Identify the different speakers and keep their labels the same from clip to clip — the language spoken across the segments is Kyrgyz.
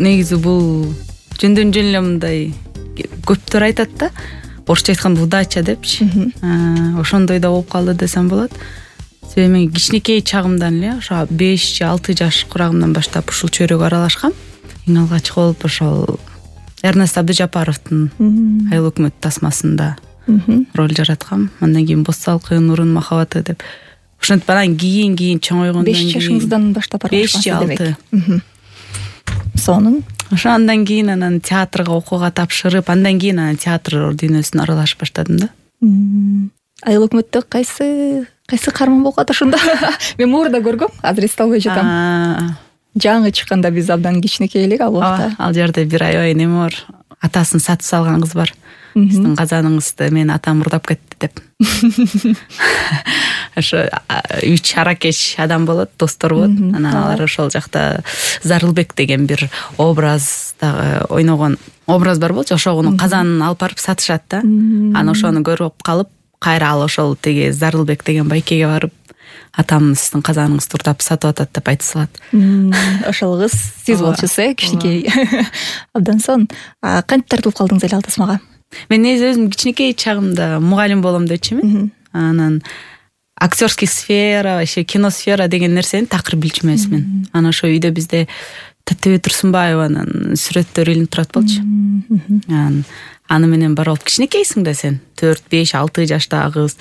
Speaker 1: Негизи бул жөндөн жөн эле мындай көптөр айтат да, орусча айтканда удача депчи. Ошондой да болуп калды десем болот. Себеби мен кичинекей чагымдан эле ошо 5 же 6 жаш курагымдан баштап ушул чөйрөгө аралашкам. Эң алгач болуп ошол Эрнест Абдыжапаровдун Айыл өкмөт тасмасында роль жараткам. Андан кийин Боз салкын, Нурунун махабаты деп. Ошентип анан кийин чоңойгондон кийин 5
Speaker 2: жашыңыздан баштап аралашкансыз демек. Сонун
Speaker 1: ошо андан кийин анан театрга окууга тапшырып, андан кийин анан театр дүйнөсүнө аралашып баштадым да.
Speaker 2: Айыл өкмөттө кайсы каарман болуп калат ошондо? Мен муурда көргөм, азыр эсте албай жатам. Жаңы чыкканда биз абдан кичинекей элек ал убакта.
Speaker 1: Ал жерде бир аябай неме бар. Атасын сатып салган кыз бар. Сиздин казаныңызды мен атам урдап кетти деп. Ошо 3 аракеч адам болот, достор болот. Анан алар ошол жакта Зарылбек деген бир образдагы ойногон образ бар болчу. Ошону казанын алып барып сатышат да. Анан ошону көрүп калып, кайра ал ошол теги Зарылбек деген байкеге барып, атам сиздин казаныңызды урдап сатып атат деп айта салат.
Speaker 2: Ошол кыз сиз болчусуз, кичинекей. Абдан сонун. Кантип тартылып калдыңыз эле ал тасмага?
Speaker 1: Мен өзүм кичинекей чагымда мугалим болом дечүмүн. Анан актерский сфера, вообще киносфера деген нерсени такыр билчү эмесмин. Анан ошо үйдө бизде Таттыбек Турсунбаеванын сүрөттөрү илинип турат болчу. Аны менен бар болуп, кичинекейсиң да сен, 4, 5, 6 жаштагы кыз,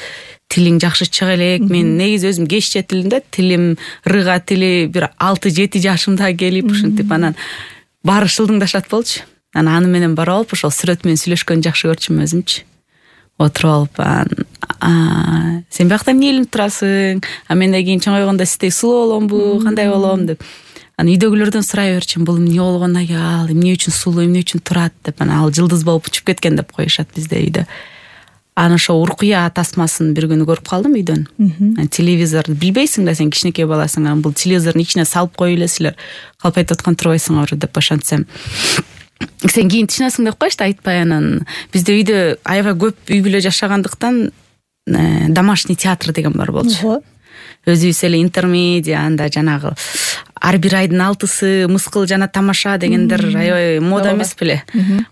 Speaker 1: тилиң жакшы чыга элек. Мен негизи өзүм кеч жетилдим да, тилим рыга тили бир 6-7 жашымда келип ушинтип анан баары шылдыңдашат болчу. Анан аны менен бара болуп ошол сүрөт менен сүйлөшкөнгө жакшы көрчүмүн өзүмчү. Отуруп алып, сен биякта эмне илинип турасың? Мен да кийин чоңойгондо сиздей сулуу боломбу, кандай болом деп. Анан үйдөгүлөрдөн сурай берчүмүн, бул эмне болгон аял, эмне үчүн сулуу, эмне үчүн турат деп. Анан ал жылдыз болуп учуп кеткен деп коюшат бизде үйдө. Анан ошо Уркуя тасмасын бир күнү көрүп калдым үйдөн. Телевизорду билбейсиң да, сен кичинекей баласың. Анан бул телевизордун ичине салып коюп элесиңер, калп айтып аткан турбайсыңарбы деп ошентсем. Сен кийин тышынасың деп коюшту, айтпай. Анан бизде үйдө аябай көп үй бүлө жашагандыктан домашний театр деген бар болчу. Өзүбүз эле интермедиа, анда жанагы ар бир айдын 6-сы Мыскыл жана Тамаша дегендер аябай мода эмес беле.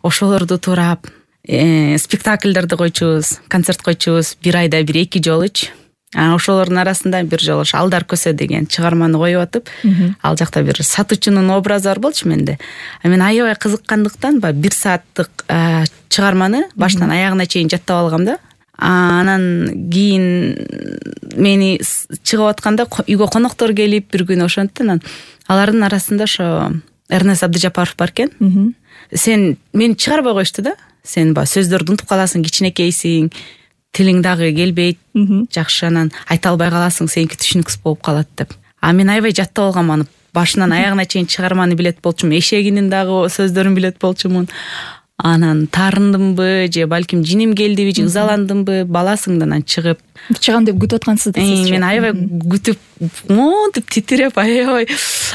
Speaker 1: Ошолорду турап, спектакльдерди койчубуз, концерт койчубуз, бир айда 1-2 жолучу. Ошолордун арасында бир жолу Алдар көсө деген чыгарманы коюп атып, ал жакта бир сатуучунун образы бар болчу менде. Мен аябай кызыккандыктан 1 сааттык чыгарманы баштан аягына чейин жаттап алгам да. Анан кийин мени чыгып атканда үйгө коноктор келип бир күнү ошонтон алардын арасында ошо Эрнест Абдыжапаров бар экен. Сен мени чыгарбай коюшту да. Сен сөздөрдү унутуп каласың, кичинекейсиң, тилиң дагы келбейт, жакшы анан айта албай каласың, сеники түшүнүксүз болуп калат деп. Мен аябай жаттап алгам аны. Башынан аягына чейин чыгарманы билет болчумун, эшегинин дагы сөздөрүн билет болчумун. Анан таарындымбы же балким жиним келдиби же ызаландымбы, баласыңдан чыгып
Speaker 2: чыгам деп күтүп аткансыз да сиз.
Speaker 1: Мен аябай күтүп, монтип титиреп, аябай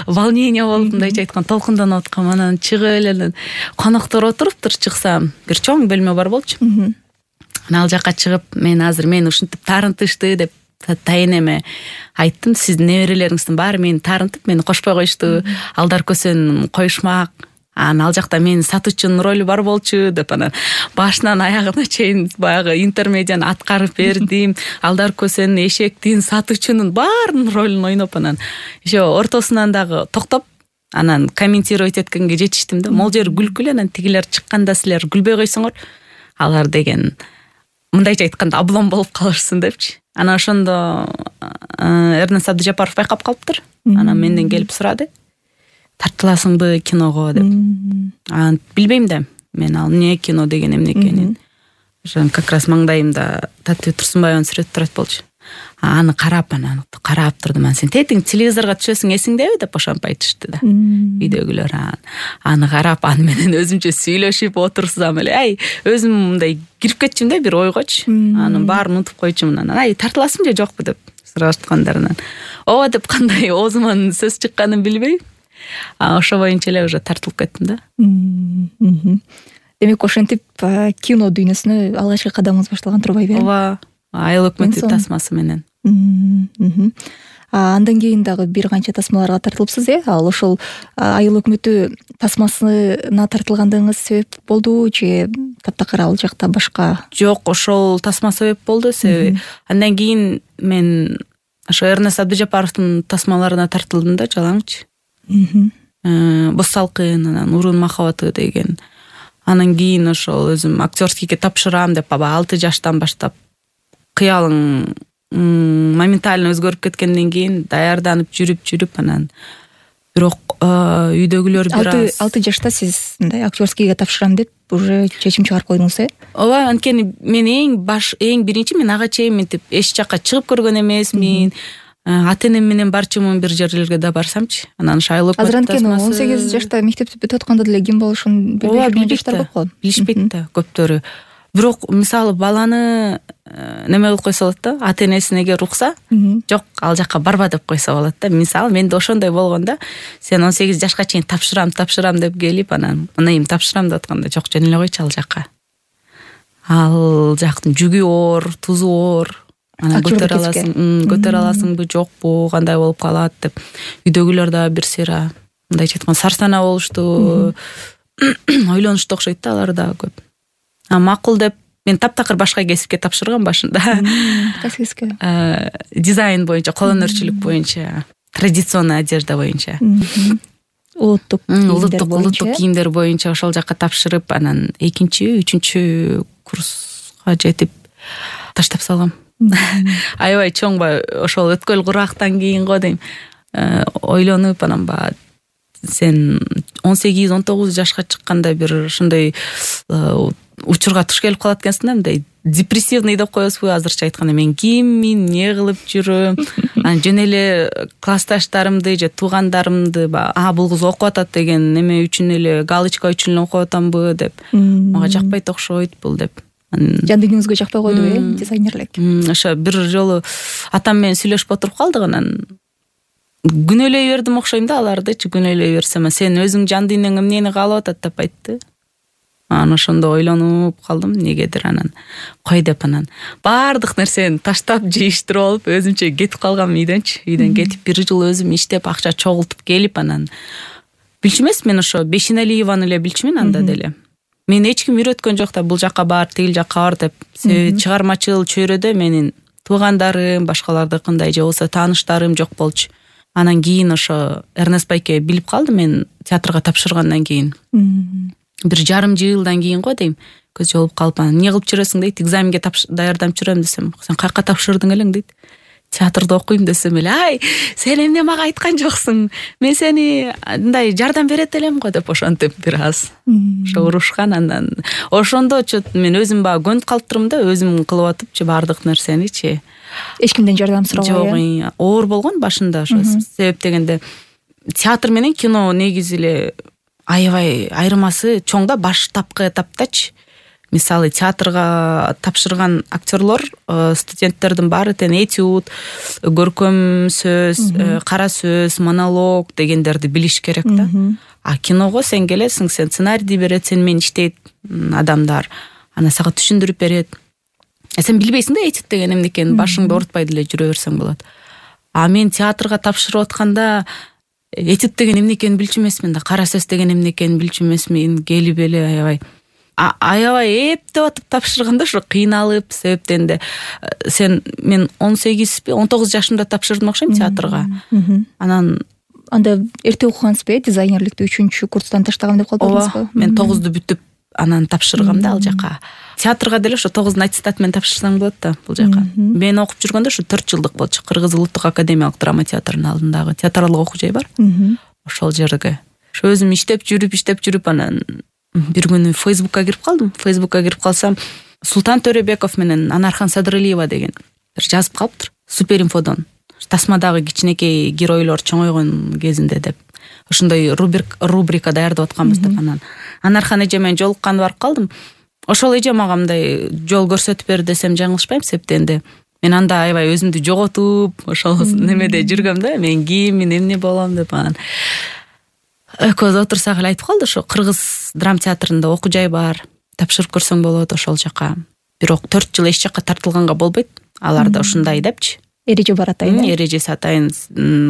Speaker 1: волнение болуп, мындайча айтканда толкунданып аткам. Анан чыгып эле коноктор отуруптур, чыксам бир чоң бөлмө бар болчу. Анан ал жакка чыгып, мен азыр мени ушинтип таарынтышты деп тайенеме айттым. Сиздин неберелериңиздин баары мени таарынтып, мени кошпой коюшту. Алдар көсөнүн коюшмак. Ал жакта менин сатуучунун ролу бар болчу деп анан башынан аягына чейин баягы интермедианы аткарып бердим. Алдар көсөнүн, эшектин, сатуучунун баарынын ролун ойноп анан еще ортосунан дагы токтоп, анан комментировать эткенге жетиштим да. Могул жери күлкүлүү, анан тигилер чыкканда силер күлбөй койсоңор, алар деген мындайча айтканда облом болуп калышсын депчи. Анан ошондо Эрнест Абдыжапаров байкап калыптыр. Анан менден келип сурады. Тартыласыңбы киного деп. Билбейм да. Мен ал эмне кино деген эмне экенин. Ошон как раз маңдайымда Таттыбек Турсунбаевдин сүрөтү турат болчу. Аны карап турдум. Сен тетиң телевизорго түшөсүң эсиңдеби деп ошентип айтышты да. Үйдөгүлөр аны карап, аны менен өзүмчө сүйлөшүп отурсам эле, өзүм мындай кирип кетчүм да бир ойгочу. Анын баарын унутуп койчумун. Анан тартыласың же жокпу деп сурашкандарынан. Ооба деп кандай оозуман сөз чыкканын билбейм. Ошо боюнча эле уже тартылып кеттим да.
Speaker 2: Демек ошентип кино дүйнөсүнө алгачкы кадамыңыз башталган турбайбы?
Speaker 1: Ооба, Айыл өкмөтү тасмасы менен.
Speaker 2: Андан кийин дагы бир канча тасмаларга тартылыпсыз, ал ошол айыл өкмөтү тасмасына тартылгандыгыңыз себеп болдубу же таптакыр ал жакта башка?
Speaker 1: Жок, ошол тасма себеп болду. Себеби андан кийин мен ошо Эрнест Абдыжапаровдун тасмаларына тартылдым да, жалаңчы. Боз салкын, анан Урун махабаты деген. Анан кийин ошол өзүм актерскийге тапшырам деп, аба 6 жаштан баштап кыялың моментально өзгөрүп кеткенден кийин даярданып жүрүп анан бирок үйдөгүлөр бир аз
Speaker 2: 6 жашта сиз мындай актерскийге тапшырам деп уже чечим чыгарып койдуңуз,
Speaker 1: ооба, анткени мен эң биринчи мен ага чейин мынтип эч жакка чыгып көргөн эмесмин. Ата энем менен барчумун бир жерлерге да барсамчы. Анан айыл өкмөт
Speaker 2: азыр анткени 18 жашта мектепти бүтүп атканда деле ким болушун билбей жаштар көп го.
Speaker 1: Билишпейт да көптөрү. Бирок мисалы баланы неме кылып койсо болот да, ата энесине урукса, жок ал жакка барба деп койсо болот да. Мисалы менде ошондой болгон да. Сен 18 жашка чейин тапшырам деп келип, анан эми тапшырам деп атканда жок, жөн эле койчу ал жакка. Ал жактын жүгү оор, тузу оор. Анан көтөрө аласыңбы, жокпу, кандай болуп калат деп. Үйдөгүлөр да бир сыйра мындайча айтканда сарсана болушту. Ойлонушту окшойт да, алар да көп. Макул деп мен таптакыр башка кесипке тапшыргам башында.
Speaker 2: Кайсы кесипке?
Speaker 1: Дизайн боюнча, кол өнөрчүлүк боюнча, традиционный одежда боюнча.
Speaker 2: Улуттук
Speaker 1: кийимдер боюнча ошол жакка тапшырып, анан 2-3 курска жетип таштап салгам. Аябай чоңба ошол өткөл курактан кийин го дейм. Ойлонуп анан сен 18-19 жашка чыкканда бир ушундай учурга туш келип калат экенсиң да, мындай депрессивный деп коесузбу азырча айтканда, мен киммин, эмне кылып жүрөм, анан жөн эле классташтарымды же туугандарымды бул кыз окуп атат деген неме үчүн эле, галочка үчүн эле окуп атамбы деп, мага жакпайт окшойт бул деп.
Speaker 2: Жан дүйнөңүзгө жакпай койдубу, дизайнерлик?
Speaker 1: Ошо бир жолу атам менен сүйлөшүп отуруп калдык, анан күнөөлөй бердим окшойм да алардычы, күнөөлөй берсем, сен өзүң жан дүйнөң эмнени каалап атат деп айтты. Анан ошондо ойлонуп калдым, негедир. Анан кой деп, анан баардык нерсени таштап жыйыштырып алып өзүмчө кетип калгам үйдөн кетип бир жыл өзүм иштеп акча чогултуп келип, анан билчү эмес, мен ошо Бешеналиеваны эле билчүмүн анда деле. Мен эч ким үйрөткөн жок да, бул жакка бар, тигил жакка бар деп. Чыгармачыл чөйрөдө менин туугандарым, башкалардыкындай же болсо тааныштарым жок болчу. Анан кийин ошо Эрнест байке билип калды мен театрга тапшыргандан кийин. Бир жарым жылдан кийин го дейм, көз жолуп калып, эмне кылып жүрөсүң дейт, экзаменге даярданып жүрөм десем, сен каяка тапшырдың элең дейт. Театрда окуйм десем эле, ай, сен эмне мага айткан жоксуң, мен сени мындай жардам берет элем го деп ошентип бир аз ошо урушкан. Андан ошондо мен өзүм көнүп калыптырмын да, өзүм кылып атыпчы баардык нерсеничи.
Speaker 2: Эч кимден жардам сурабай?
Speaker 1: Жок, оор болгон башында ошо. Себеп дегенде театр менен кино негизи эле аябай айырмасы чоң да, баштапкы этаптачы. Мисалы театрга тапшырган актерлор, студенттердин баары тең этюд, көркөм сөз, кара сөз, монолог дегендерди билиш керек да. А киного сен келесиң, сен сценарийди берет, сен менен иштейт адамдар, анан сага түшүндүрүп берет. Сен билбейсиң да этюд деген эмне экенин, башыңды оорутпай деле жүрө берсең болот. А мен театрга тапшырып атканда этюд деген эмне экенин билчү эмесмин да, кара сөз деген эмне экенин билчү эмесмин, келип эле аябай эптеп атып тапшырганда ошо кыйналып, себептен мен 18-19 жашымда тапшырдым окшойм театрга. Анан
Speaker 2: анда эрте окугансызбы, дизайнерликти 3 курстан таштагам деп калбадыңызбы?
Speaker 1: Мен 9ду бүтүп анан тапшыргам да ал жака. Театрга деле ошо 9 аттестат менен тапшырсаң болот да бул жака. Мен окуп жүргөндө ошо 4 жылдык болчу. Кыргыз улуттук академиялык драма театрынын алдындагы театралык окуу жай бар. Ошол жерге. Ошо өзүм иштеп жүрүп анан бир күнү Фейсбукка кирип калдым. Фейсбукка кирип калсам, Султан Төрөбеков менен Анархан Садыралиева деген жазып калыптыр. Суперинфодон. Тасмадагы кичинекей геройлор чоңойгон кезинде деп. Ошондой рубрика даярдап атканбыз деп. Анан Анархан эже менен жолукканды барып калдым. Ошол эже мага мындай жол көрсөтүп берди десем жаңылышпайм, себептенде мен анда аябай өзүмдү жоготуп, ошол немеде жүргөм да, мен киммин, эмне болом деп. Анан экөөбүз отурсак эле айтып калды, ошо Кыргыз драма театрында окуу жай бар, тапшырып көрсөң болот ошол жака. Бирок 4 жыл эч жака тартылганга болбойт. Аларда ушундай депчи.
Speaker 2: эреже бар атайын.
Speaker 1: Эрежеси атайын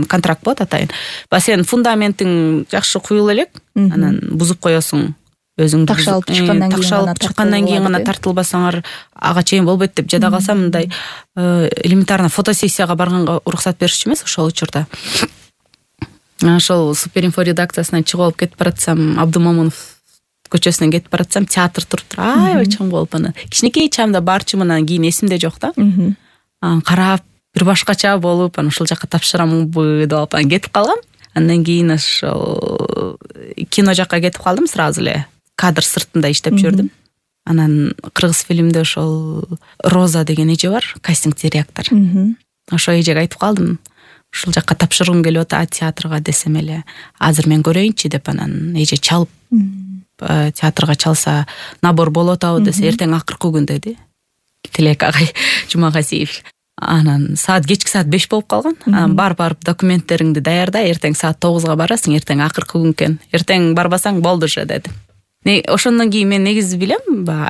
Speaker 1: контракт болот атайын. Баягы сен фундаментиң жакшы куюла элек, анан бузуп коесуң. Өзүң
Speaker 2: такшалып
Speaker 1: чыккандан кийин гана тартылбасаңар ага чейин болбойт деп жада калсам, мындай элементарно фотосессияга барганга уруксат беришчү эмес ошол учурда. Ошол Суперинфо редакциясынан чыгып алып кетип баратсам, Абдумомунов көчөсүнөн кетип баратсам, театр туруптур. Аябай чоң болуп аны. Кичинекей чамда барчымын, кийин эсимде жок да. Карап, бир башкача болуп, аны ушул жакка тапшырамынбы деп алып кетип калгам. Андан кийин ошол кино жакка кетип калдым сразу эле. Кадр сыртында иштеп жүрдүм. Анан кыргыз фильмде ошол Роза деген эже бар, кастинг директор. Ошол эжеге айтып калдым. Ушул жакка тапшыргым келип атат театрга десем эле, азыр мен көрөйүнчү деп, анан эже чалып театрга чалса набор болуп атабы десе, эртең акыркы күн деди. Тилек агай Жумагазиев. Анан кечки саат 5 болуп калган. Анан барып документтериңди даярда, эртең саат 9га барасың, эртең акыркы күн экен. Эртең барбасаң болду же деди. Ошондон кийин мен негизи билем,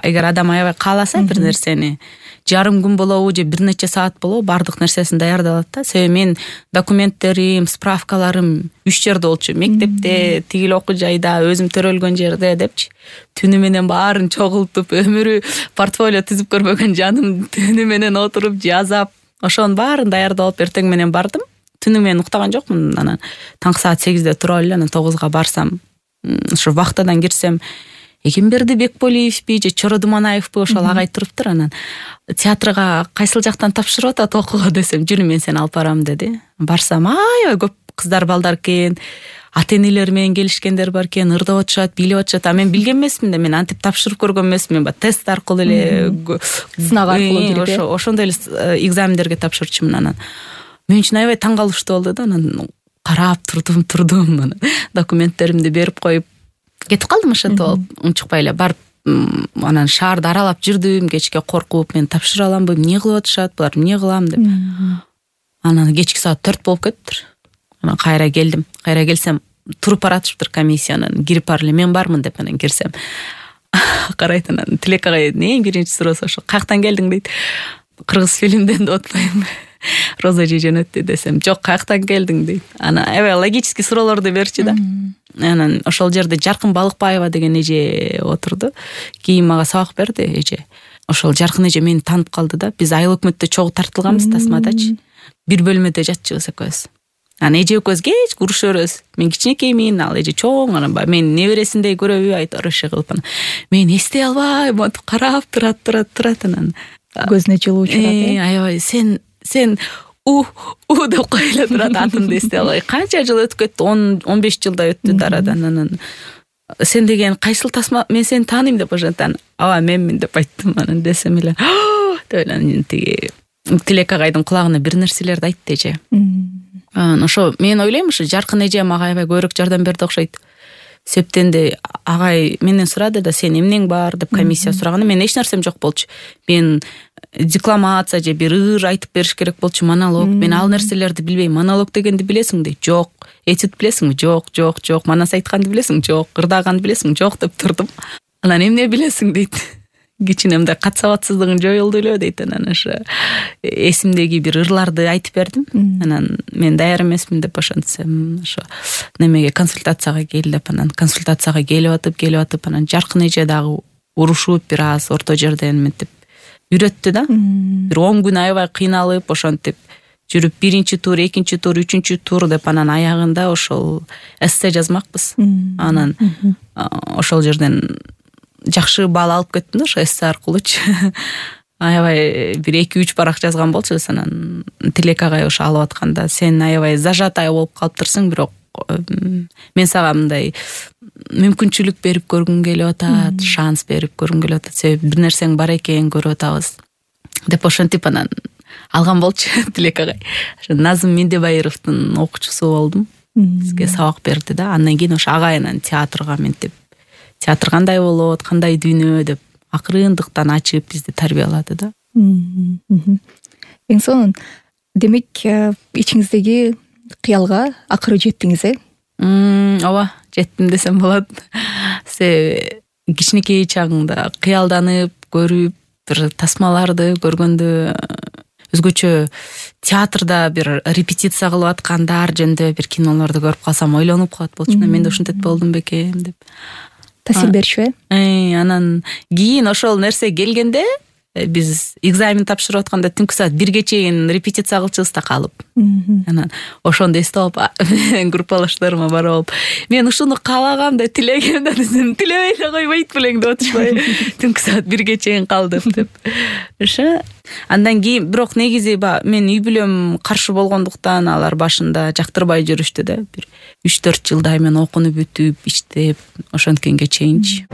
Speaker 1: эгер адам аябай кааласа бир нерсени, жарым күн болобу же бир нече саат болобу, бардык нерсесин даярдалат да. Себеби мен документтерим, справкаларым 3 жерде болчу. Мектепте, тигил окуу жайда, өзүм төрөлгөн жерде депчи. Түнү менен баарын чогултуп, өмүрү портфолио түзүп көрбөгөн жаным түнү менен отуруп жазап, ошонун баарын даярдап эртең менен бардым. Түнү менен уктаган жокмун. Анан таңкы саат 8де туруп эле, анан 9га барсам, ошо вахтадан кирсем, Эгемберди Бекполиевби же Чоро Думанаевби ошол агай туруптур. Анан театрга кайсыл жактан тапшырып атат окууга десем, жүрү мен сени алып барам деди. Барсам, аябай көп кыздар балдар экен, ата-энелери менен келишкендер бар экен, ырдап атышат, бийлеп атышат. А мен билген эмесмин да, мен антип тапшырып көргөн эмесмин. Мен тест аркылуу эле,
Speaker 2: сынак аркылуу
Speaker 1: жүрүп, ошондой эле экзамендерге тапшырчумун. Анан мен үчүн аябай таң калыштуу болду да. Анан карап турдум, анан документтеримди берип коюп кетип калдым ошентип алып, унчукпай эле барып, анан шаарды аралап жүрдүм, кечке коркуп, мен тапшыра аламбы, эмне кылып атышат, булар эмне кылам деп. Анан кечки саат 4 болуп кетиптир. Анан кайра келдим. Кайра келсем, туруп баратыптыр комиссиянын, кирип бар эле, мен бармын деп анан кирсем. Карайт, анан Тилек агай эң биринчи суроосу ошо, каяктан келдиң дейт. Кыргыз фильмден деп атпаймынбы. Роза же жөнөттү десем, жок, каяктан келдиң дейт. Анан аябай логический суроолорду берчү да. Анан ошол жерде Жаркын Балыкбаева деген эже отурду. Кийин мага сабак берди эже. Ошол Жаркын эже мени таанып калды да. Биз Айыл өкмөттө чогуу тартылганбыз тасмадачы. Бир бөлмөдө жатчыбыз экөөбүз. Анан эже экөөбүз кечке урушөбүз. Мен кичинекеймин, ал эже чоң, анан мен небересиндей көрөбү айтып ошо кылып анан мен эстей албай, монтип карап турат анан
Speaker 2: көзүнө жылуу чыгат.
Speaker 1: Аябай сен деп койло турат, атымды эстей албай. Канча жыл өтүп кетти? 10-15 жылдай өттү арадан. Анан сен деген кайсыл тасма, мен сени тааныйм деп ошентен. Ооба, менмин деп айттым. Анан десем эле, деп эле тиги Тилек агайдын кулагына бир нерселерди айтты эже. Анан ошо мен ойлойм, ошо Жаркын эже мага аябай көбүрөөк жардам берди окшойт. Септенде агай менден сурады да, сен эмнең бар деп комиссия сураганда, мен эч нерсем жок болчу. Мен декламация же бир ыр айтып бериш керек болчу, монолог. Мен ал нерселерди билбейм. Монолог дегенди билесиң дейт. Жок. Этюд билесиңби? Жок. Манас айтканды билесиң? Жок. Ырдаганды билесиң? Жок деп турдум. Анан эмне билесиң дейт. Кичинемде кат сабатсыздыгың жоюлду эле дейт. Анан ошо эсимдеги бир ырларды айтып бердим. Анан мен даяр эмесмин деп ошентсем, ошо немеге консультацияга кел деп, анан консультацияга келип атып, анан Жаркын эже дагы урушуп бир аз орто жерден мынтип үйрөттү да. Бир 10 күн аябай кыйналып, ошентип жүрүп, биринчи тур, экинчи тур, үчүнчү тур деп, анан аягында ошол эссе жазмакпыз. Анан ошол жерден жакшы баал алып кеттим да, ошо эссе аркылуучу. Аябай бир 2-3 барак жазган болчубуз. Анан Тилек агай ошо алып атканда, сен аябай зажатая болуп калыптырсың, бирок мен сага мындай мүмкүнчүлүк берип көргүм келип атат, шанс берип көргүм келип атат, себеби бир нерсең бар экен, көрүп атабыз деп ошентип анан алган болчу Тилек агай. Ошо Назым Мендебайыровдун окуучусу болдум. Бизге сабак берди да. Андан кийин ошо агай анан театрга ментип, театр кандай болот, кандай дүйнө деп акырындыктан ачып бизди тарбиялады да.
Speaker 2: Эң сонун, демек ичиңиздеги кыялга акыры жеттиңиз,
Speaker 1: Ооба, жеттим десем болот. Себеби кичинекей чагыңда кыялданып, көрүп, бир тасмаларды көргөндө өзгөчө театрда бир репетиция кылып аткандар жөнүндө бир кинолорду көрүп калсам ойлонуп калат болчумун, мен да ушинтип болдум бекем деп.
Speaker 2: Таасир берчүбү?
Speaker 1: Анан кийин ошол нерсе келгенде биз экзамен тапшырып атканда түнкү саат 1ге чейин репетиция кылчубуз да калып. Анан ошондо эстеп алып, группалаштарыма барып алып, мен ушуну каалагам да, тилегем да десем, тилебей эле койбойт белең деп атышпайбы? Түнкү саат 1ге чейин калдым деп. Ошо. Андан кийин бирок негизи мен үй бүлөм каршы болгондуктан алар башында жактырбай жүрүштү да. Бир 3-4 жылдай мен окунуп бүтүп, иштеп, ошонткенге чейинчи.